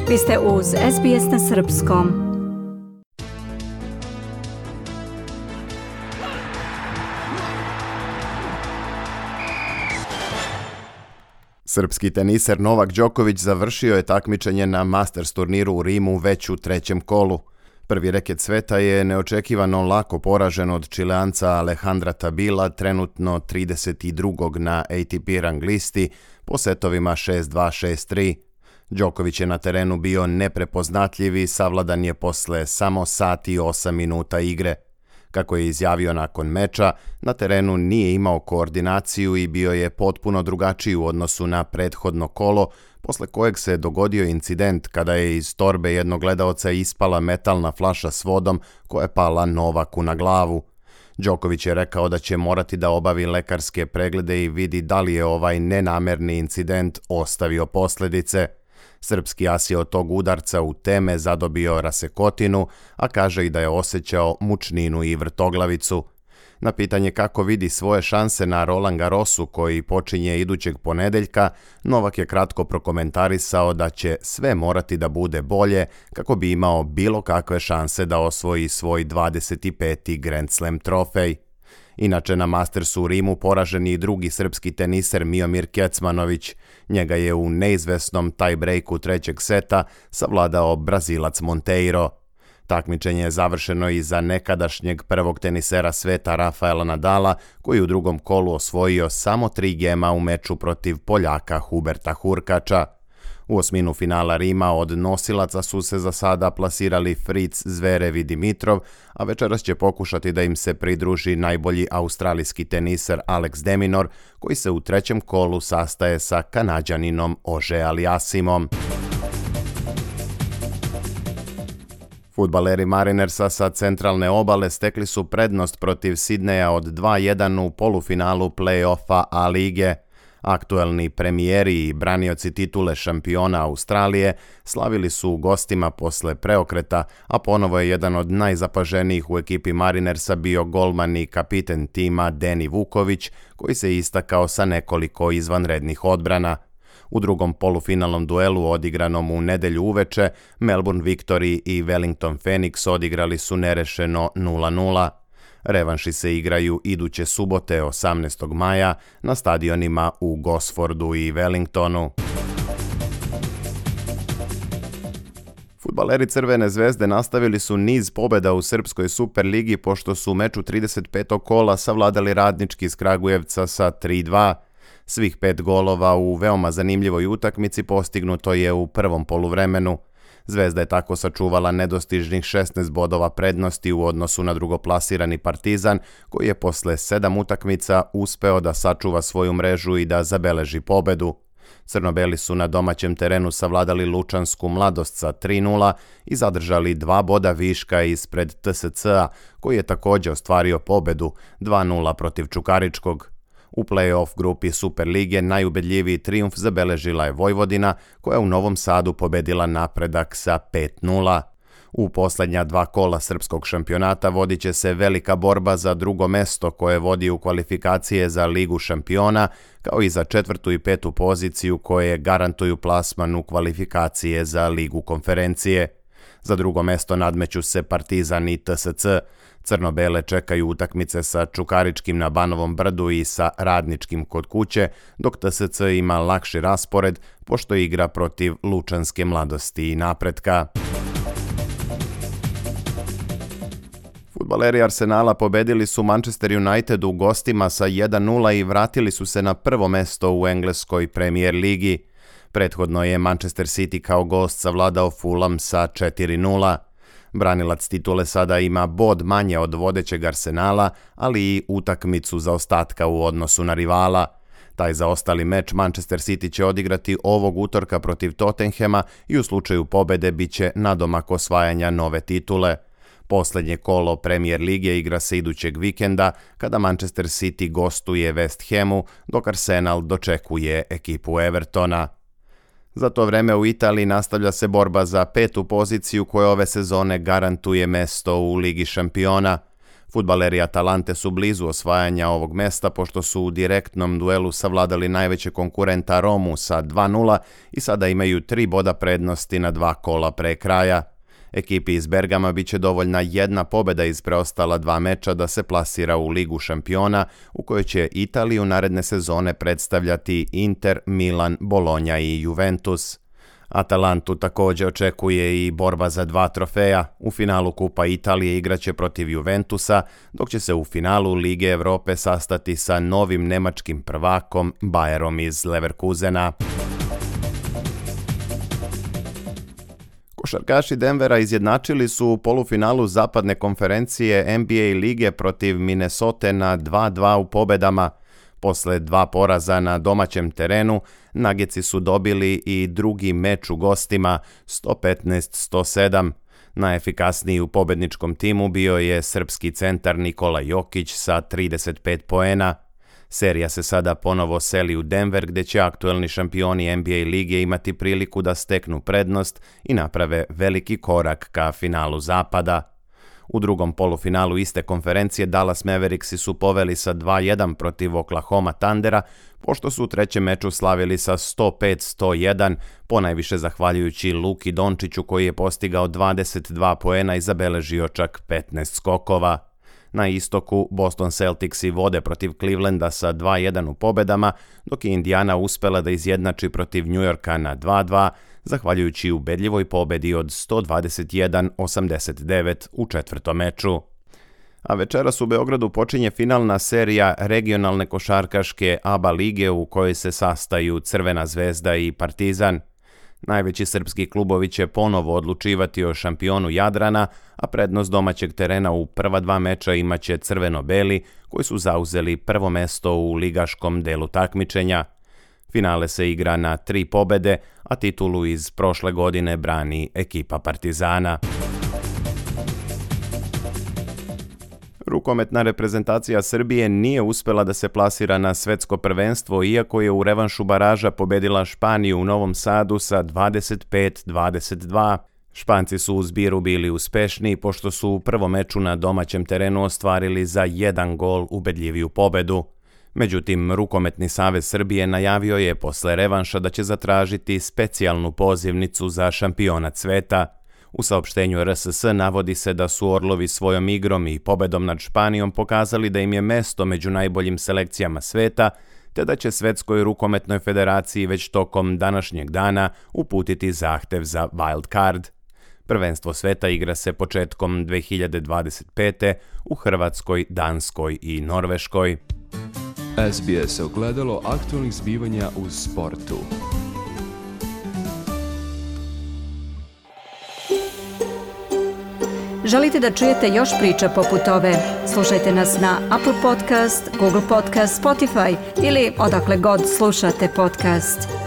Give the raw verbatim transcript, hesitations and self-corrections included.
Vi ste uz S B S na srpskom. Srpski teniser Novak Đoković završio je takmičenje na Masters turniru u Rimu već u trećem kolu. Prvi reket sveta je neočekivano lako poražen od Čileanca Alejandra Tabila, trenutno trideset drugog na A T P rang listi, po setovima šest dva šest tri. Đoković je na terenu bio neprepoznatljiv i savladan je posle samo sat i osam minuta igre. Kako je izjavio nakon meča, na terenu nije imao koordinaciju i bio je potpuno drugačiji u odnosu na prethodno kolo, posle kojeg se dogodio incident kada je iz torbe jednog gledaoca ispala metalna flaša s vodom koja je pala Novaku na glavu. Đoković je rekao da će morati da obavi lekarske preglede i vidi da li je ovaj nenamerni incident ostavio posljedice. Srpski as je od tog udarca u teme zadobio rasekotinu, a kaže i da je osjećao mučninu i vrtoglavicu. Na pitanje kako vidi svoje šanse na Roland Garrosu koji počinje idućeg ponedeljka, Novak je kratko prokomentarisao da će sve morati da bude bolje kako bi imao bilo kakve šanse da osvoji svoj dvadeset peti Grand Slam trofej. Inače, na Mastersu u Rimu poražen i drugi srpski teniser Miomir Kecmanović. Njega je u neizvesnom tie-breaku trećeg seta savladao Brazilac Monteiro. Takmičenje je završeno i za nekadašnjeg prvog tenisera sveta Rafaela Nadala, koji u drugom kolu osvojio samo tri gema u meču protiv Poljaka Huberta Hurkača. U osminu finala Rima od nosilaca su se za sada plasirali Fritz, Zverev i Dimitrov, a večeras će pokušati da im se pridruži najbolji australijski teniser Alex de Minaur, koji se u trećem kolu sastaje sa Kanađaninom Ože Aliasimom. Fudbaleri Marinersa sa centralne obale stekli su prednost protiv Sidneja od dva jedan u polufinalu play-offa A lige. Aktuelni premijeri i branioci titule šampiona Australije slavili su u gostima posle preokreta, a ponovo je jedan od najzapaženijih u ekipi Marinersa bio golman i kapiten tima Deni Vuković, koji se istakao sa nekoliko izvanrednih odbrana. U drugom polufinalnom duelu odigranom u nedelju uveče, Melbourne Victory i Wellington Phoenix odigrali su nerešeno nula nula. Revanši se igraju iduće subote osamnaestog maja na stadionima u Gosfordu i Wellingtonu. Fudbaleri Crvene zvezde nastavili su niz pobjeda u Srpskoj Superligi pošto su u meču trideset petog kola savladali Radnički iz Kragujevca sa tri dva. Svih pet golova u veoma zanimljivoj utakmici postignuto je u prvom poluvremenu. Zvezda je tako sačuvala nedostižnih šesnaest bodova prednosti u odnosu na drugoplasirani Partizan, koji je posle sedam utakmica uspeo da sačuva svoju mrežu i da zabeleži pobedu. Crnobeli su na domaćem terenu savladali Lučansku Mladost sa tri nula i zadržali dva boda viška ispred T S C-a, koji je također ostvario pobedu dva nula protiv Čukaričkog. U play-off grupi Superlige najubedljiviji trijumf zabeležila je Vojvodina, koja je u Novom Sadu pobedila Napredak sa pet nula. U posljednja dva kola srpskog šampionata vodit će se velika borba za drugo mesto koje vodi u kvalifikacije za Ligu šampiona, kao i za četvrtu i petu poziciju koje garantuju plasman u kvalifikacije za Ligu konferencije. Za drugo mesto nadmeću se Partizan i T S C. Crno-bele čekaju utakmice sa Čukaričkim na Banovom brdu i sa Radničkim kod kuće, dok T S C ima lakši raspored pošto igra protiv Lučanske Mladosti i Napretka. Fudbaleri Arsenala pobedili su Manchester United u gostima sa jedan nula i vratili su se na prvo mesto u engleskoj Premier ligi. Prethodno je Manchester City kao gost savladao Fulham sa četiri nula. Branilac titule sada ima bod manje od vodećeg Arsenala, ali i utakmicu zaostatka u odnosu na rivala. Taj zaostali meč Manchester City će odigrati ovog utorka protiv Tottenhema i u slučaju pobede biće nadomak osvajanja nove titule. Posljednje kolo Premier lige igra se idućeg vikenda kada Manchester City gostuje West Hamu, dok Arsenal dočekuje ekipu Evertona. Za to vreme u Italiji nastavlja se borba za petu poziciju koja ove sezone garantuje mesto u Ligi šampiona. Fudbaleri Atalante su blizu osvajanja ovog mesta pošto su u direktnom duelu savladali najveće konkurenta Romu sa dva nula i sada imaju tri boda prednosti na dva kola pre kraja. Ekipi iz Bergama bit će dovoljna jedna pobjeda iz preostala dva meča da se plasira u Ligu šampiona, u kojoj će Italiju naredne sezone predstavljati Inter, Milan, Bologna i Juventus. Atalantu također očekuje i borba za dva trofeja. U finalu Kupa Italije igraće protiv Juventusa, dok će se u finalu Lige Europe sastati sa novim nemačkim prvakom Bayerom iz Leverkusena. Košarkaši Denvera izjednačili su u polufinalu zapadne konferencije N B A lige protiv Minnesote na dva dva u pobedama. Posle dva poraza na domaćem terenu, Nuggetsi su dobili i drugi meč u gostima sto petnaest sto sedam. Najefikasniji u pobedničkom timu bio je srpski centar Nikola Jokić sa trideset pet poena. Serija se sada ponovo seli u Denver, gdje će aktuelni šampioni N B A lige imati priliku da steknu prednost i naprave veliki korak ka finalu zapada. U drugom polufinalu iste konferencije Dallas Mavericksi su poveli sa dva jedan protiv Oklahoma Thundera, pošto su u trećem meču slavili sa sto pet sto jedan, ponajviše zahvaljujući Luki Dončiću koji je postigao dvadeset dva poena i zabeležio čak petnaest skokova. Na istoku Boston Celticsi vode protiv Clevelanda sa dva jedan u pobedama, dok je Indiana uspela da izjednači protiv New Yorka na dva dva, zahvaljujući ubedljivoj pobedi od sto dvadeset jedan osamdeset devet u četvrtom meču. A večeras u Beogradu počinje finalna serija regionalne košarkaške A B A lige u kojoj se sastaju Crvena zvezda i Partizan. Najveći srpski klubovi će ponovo odlučivati o šampionu Jadrana, a prednost domaćeg terena u prva dva meča imaće crveno-beli, koji su zauzeli prvo mesto u ligaškom delu takmičenja. Finale se igra na tri pobede, a titulu iz prošle godine brani ekipa Partizana. Rukometna reprezentacija Srbije nije uspela da se plasira na svetsko prvenstvo, iako je u revanšu baraža pobedila Španiju u Novom Sadu sa dvadeset pet dvadeset dva. Španci su u zbiru bili uspešni, pošto su u prvom meču na domaćem terenu ostvarili za jedan gol ubedljiviju pobedu. Međutim, Rukometni savez Srbije najavio je posle revanša da će zatražiti specijalnu pozivnicu za šampionat sveta. U saopštenju R S S navodi se da su Orlovi svojom igrom i pobedom nad Španijom pokazali da im je mesto među najboljim selekcijama sveta, te da će Svetskoj rukometnoj federaciji već tokom današnjeg dana uputiti zahtev za wild card. Prvenstvo sveta igra se početkom dve hiljade dvadeset pete. u Hrvatskoj, Danskoj i Norveškoj. S B S ogledalo aktualnih zbivanja u sportu. Želite da čujete još priča poput ove? Slušajte nas na Apple Podcast, Google Podcast, Spotify ili odakle god slušate podcast.